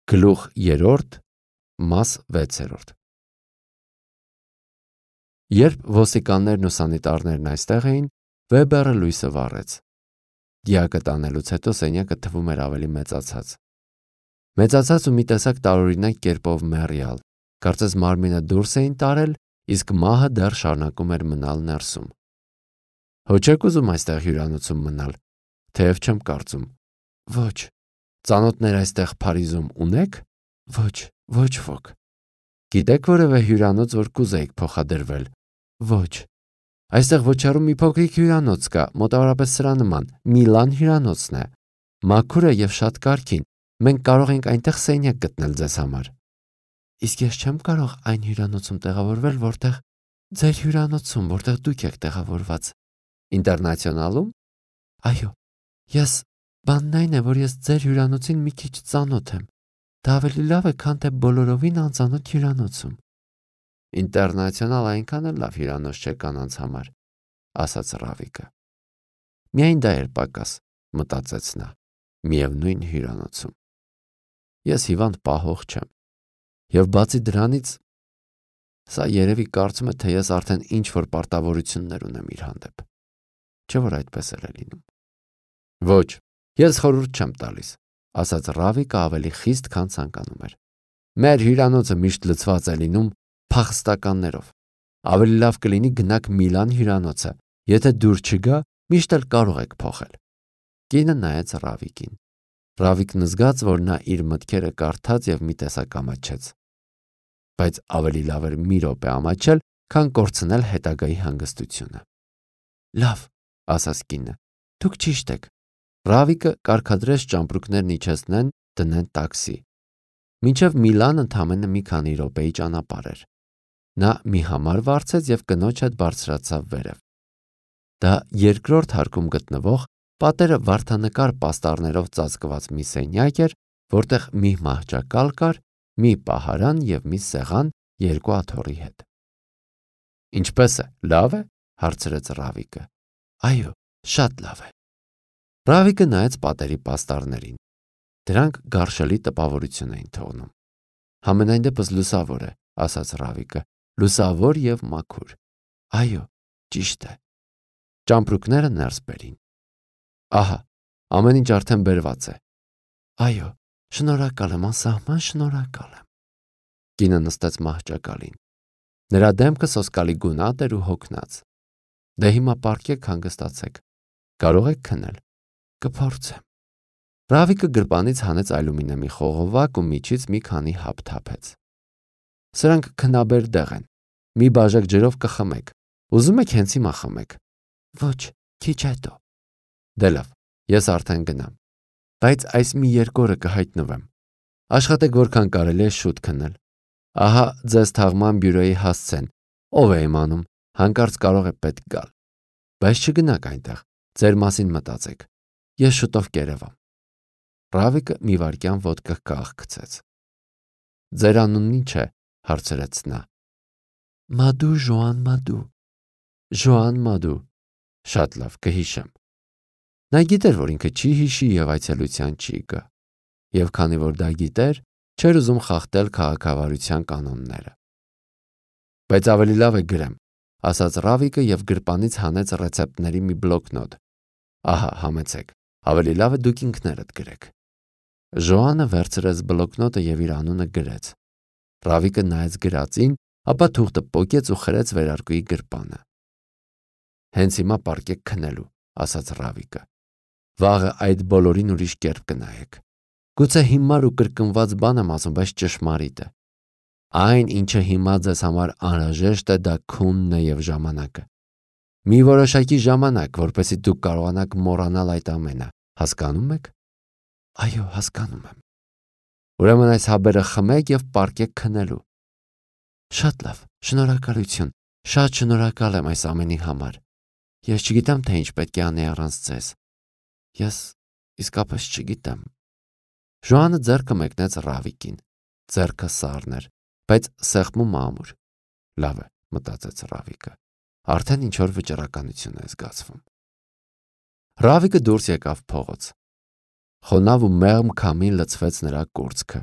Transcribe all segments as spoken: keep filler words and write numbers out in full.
Գլուխ երրորդ, մաս վեցերորդ։ Երբ ոստիկաններն ու սանիտարներն այստեղ էին, Վեբերը լույսը վառեց։ Դիակը տանելուց հետո սենյակը թվում էր ավելի մեծացած։ Մեծացած ու մի տեսակ տարօրինակ կերպով մեռյալ, կարծես մարմինը դուրս էին տարել, իսկ մահը դեռ շարունակում էր մնալ ներսում։ Հո չեք ուզում այստեղ հյուրանոցում մնալ, թեև չեմ կարծում։ Ոչ։ Ծանոթներ այստեղ Փարիզում ունե՞ք։ Ոչ, ոչ ոք։ Գիտեք որևէ հյուրանոց, որ կուզեիք փոխադրվել։ Ոչ։ Այստեղ ոչ հեռու մի փոքրիկ հյուրանոց կա, մոտավորապես սրա նման, Միլան հյուրանոցն է։ Մաքուր է եւ շատ կարգին։ Մենք կարող ենք այնտեղ սենյակ գտնել ձեզ համար։ Իսկ ես չեմ կարող այն հյուրանոցում տեղավորվել, որտեղ ձեր հյուրանոցում, որտեղ դուք եք տեղավորված։ Ինտերնացիոնալում։ Այո։ Ես բանն այն է, որ ես ձեր հյուրանոցին մի քիչ ծանոթ եմ։ Դա ավելի լավ է, քան թե բոլորովին անծանոթ հյուրանոցում։ Ինտերնացիոնալ այնքան էլ լավ հյուրանոց չէ կանանց համար, ասաց Ռավիկը։ Միայն դա էր պակաս, մտածեց նա, միևնույն հյուրանոցում։ Ես հիվանդ պահող չեմ։ Եվ բացի դրանից, սա երևի կարծում է, թե ես արդեն ինչ-որ պարտավորություններ ունեմ իր հանդեպ։ Չէ՞ որ այդպես էլ է լինում։ Ոչ, ես խորհուրդ չեմ տալիս, ասաց Ռավիկը ավելի խիստ, քան ցանկանում էր։ Մեր հյուրանոցը միշտ լցված է լինում փախստականներով։ Ավելի լավ կլինի գնաք Միլան հյուրանոցը, եթե դուր չգա, միշտ էլ կարող եք փոխել։ Կինը նայեց Ռավիկին։ Ռավիկն զգաց, որ նա իր մտքերը կարդաց եւ մի տեսակ ամաչեց։ Բայց ավելի լավ էր մի րոպե ամաչել, քան կորցնել հետագայի հանգստությունը։ Լավ, ասաց կինը, դուք ճիշտ եք։ Ռավիկը կարգադրեց ճամպրուկներն իջեցնեն, դնեն տաքսի։ Մինչև Միլան ընդամենը մի քանի րոպեի ճանապարհ էր։ Նա մի համար վարձեց եւ կնոջ հետ բարձրացավ վերև։ Դա երկրորդ հարկում գտնվող պատերը վարդանկար պաստառներով ծածկված մի սենյակ էր, որտեղ մի մահճակալ կար, մի պահարան եւ մի սեղան երկու աթոռի հետ։ Ինչպես է, լավ է, հարցրեց Ռավիկը։ Այո, շատ լավ է։ Ռավիկը նայեց պատերի պաստառներին։ Դրանք գարշելի տպավորություն էին թողնում։ Համենայն դեպս լուսավոր է, ասաց Ռավիկը, լուսավոր եւ մաքուր։ Այո, ճիշտ է։ Ճամպրուկները ներս բերին։ Ահա, ամեն ինչ արդեն բերված է։ Այո, շնորհակալ եմ, անսահման շնորհակալ եմ։ Կինը նստեց մահճակալին։ Նրա դեմքը սոսկալի գունատ էր ու հոգնած։ Դե հիմա պառկեք, հանգստացեք։ Կարող եք քնել։ Կփորձեմ։ Ռավիկը գրպանից հանեց ալյումինիումի խողովակ ու միջից մի քանի հապ թափեց։ Սրանք քնաբեր դեղ են։ Մի բաժակ ջրով կխմեք։ Ուզում եք հենց հիմա խմեք։ Ոչ, քիչ հետո։ Դե լավ, ես արդեն գնամ։ Բայց այս մի երկու օրը կհայտնվեմ։ Աշխատեք որքան կարելի է շուտ քնել։ Ահա ձեզ թաղման բյուրոյի հասցեն։ Ով է իմանում, հանկարծ կարող է պետք գալ։ Բայց չգնաք այնտեղ, ձեր մասին մտածեք։ Ես շուտով կերևամ։ Ռավիկը մի վայրկյան ոդկա կաղքցեց։ Ձեր անունն ի՞նչ է, հարցրեց նա։ Մադու Ժոան Մադու։ Ժոան Մադու։ Շատ լավ, կհիշեմ։ Նա գիտեր, որ ինքը չի հիշի եւ այցելության չի գա։ Եվ քանի որ դա գիտեր, չէր ուզում խախտել քաղաքավարության կանոնները։ Բայց ավելի լավ է գրեմ, ասաց Ռավիկը եւ գրպանից հանեց ռեցեպտների մի բլոկնոտ։ Ահա, համեցեք։ Ավելի լավ է դուք ինքներդ գրեք։ Ժոանը վերցրեց բլոկնոտը եւ իր անունը գրեց։ Ռավիկը նայեց գրածին, ապա թուղթը պոկեց ու խրեց վերարկուի գրպանը։ Հենց հիմա պառկեք քնելու, ասաց Ռավիկը։ Վաղը այդ բոլորին ուրիշ կերպ կնայեք։ Գուցե հիմար ու կրկնված բան եմ ասում, բայց ճշմարիտ է։ Այն, ինչը հիմա ձեզ համար անհրաժեշտ է, դա քունն է եւ ժամանակը։ Մի որոշակի ժամանակ, որպեսզի դուք կարողանաք մոռանալ այդ ամենը, հասկանում եք։ Այո, հասկանում եմ։ Ուրեմն այս հաբերը խմեք եւ պառկեք քնելու։ Շատ լավ, շնորհակալություն։ Շատ շնորհակալ եմ այս ամենի համար։ Ես չգիտեմ, թե ինչ պետք է անեի առանց ձեզ։ Ես իսկապես չգիտեմ։ Ժոանը ձեռքը մեկնեց Ռավիկին։ Ձեռքը սառն էր, բայց սեղմում ամուր։ Լավ է, մտածեց Ռավիկը։ Արդեն ինչ-որ վճռականություն է զգացվում։ Ռավիկը դուրս եկավ փողոց։ Խոնավ ու մեղմ քամին լցվեց նրա կուրծքը։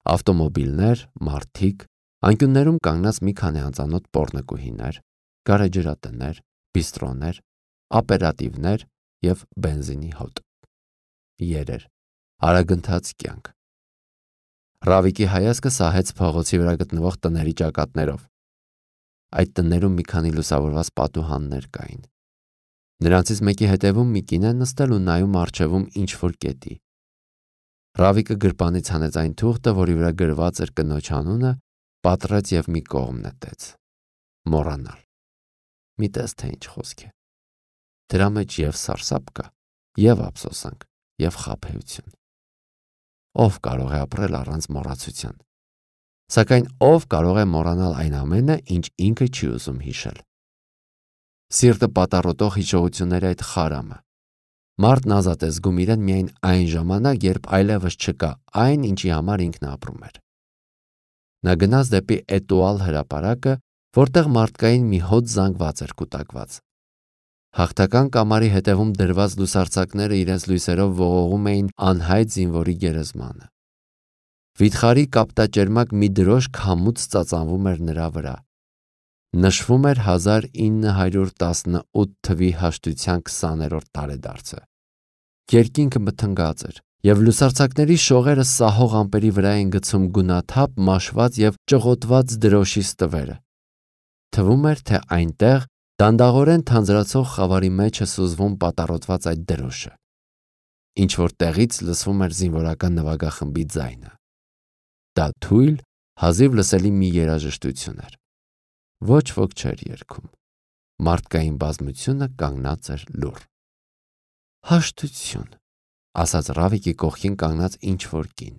ավտոմոբիլներ, մարդիկ, անկյուններում կանգնած մի քանի անծանոթ պոռնկուհիներ, գարեջրատներ, բիստրոներ, ապերատիվներ և բենզինի հոտ։ Երեր, արագընթաց կյանք։ Ռավիկի հայացքը սահեց փողոցի վրա գտնվող տների ճակատներով։ Այդ տներում մի քանի լուսավորված պատուհաններ կային։ Նրանցից մեկի հետևում մի կին է նստել ու նայում առջևում ինչ-որ կետի։ Ռավիկը գրպանից հանեց այն թուղթը, որի վրա գրված էր կնոջ անունը, պատռեց և մի կողմ նետեց։ Մոռանալ։ Մի տես թե ինչ խոսք է։ Դրա մեջ և սարսափ կա, և ափսոսանք, և խաբեություն։ Ով կարող է ապրել առանց մոռացության։ Սակայն ով կարող է մոռանալ այն ամենը, ինչ ինքը չի ուզում հիշել։ Սիրտը պատառոտող հիշողությունների այդ խարամը։ Մարդն ազատ է զգում իրեն միայն այն ժամանակ, երբ այլևս չկա այն, ինչի համար ինքն ապրում էր։ Նա գնաց դեպի Էտուալ հրապարակը, որտեղ մարդկային մի հոտ զանգված էր կուտակված։ Հաղթական կամարի հետևում դրված լուսարձակները իրենց լույսերով ողողում էին անհայտ զինվորի գերեզմանը։ Վիթխարի կապտաճերմակ մի դրոշ քամուց ծածանվում էր նրա վրա։ Նշվում էր հազար ինը հարյուր տասնութ թվի հաշտության քսաներորդ տարեդարձը։ Երկինքը մթնգած էր, և լուսարձակների շողերը սահող ամպերի վրա էին գցում գունաթափ, մաշված և ճղոտված դրոշի ստվերը։ Թվում էր, թե այնտեղ դանդաղորեն թանձրացող խավարի մեջ է սուզվում պատառոտված այդ դրոշը։ Ինչ-որ տեղից լսվում էր զինվորական նվագախմբի ձայնը։ Դա թույլ, հազիվ լսելի մի երաժշտություն էր։ Ոչ ոք չէր երգում։ Մարդկային բազմությունը կանգնած էր լուռ։ Հաշտություն, ասաց Ռավիկի կողքին կանգնած ինչ-որ կին։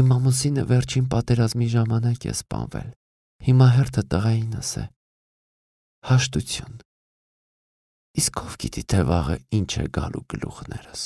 Իմ ամուսինը վերջին պատերազմի ժամանակ է սպանվել։ Հիմա հերթը տղայինս է։ Հաշտություն։ Իսկ ով գիտի, թե վաղը ինչ է գալու գլուխներս։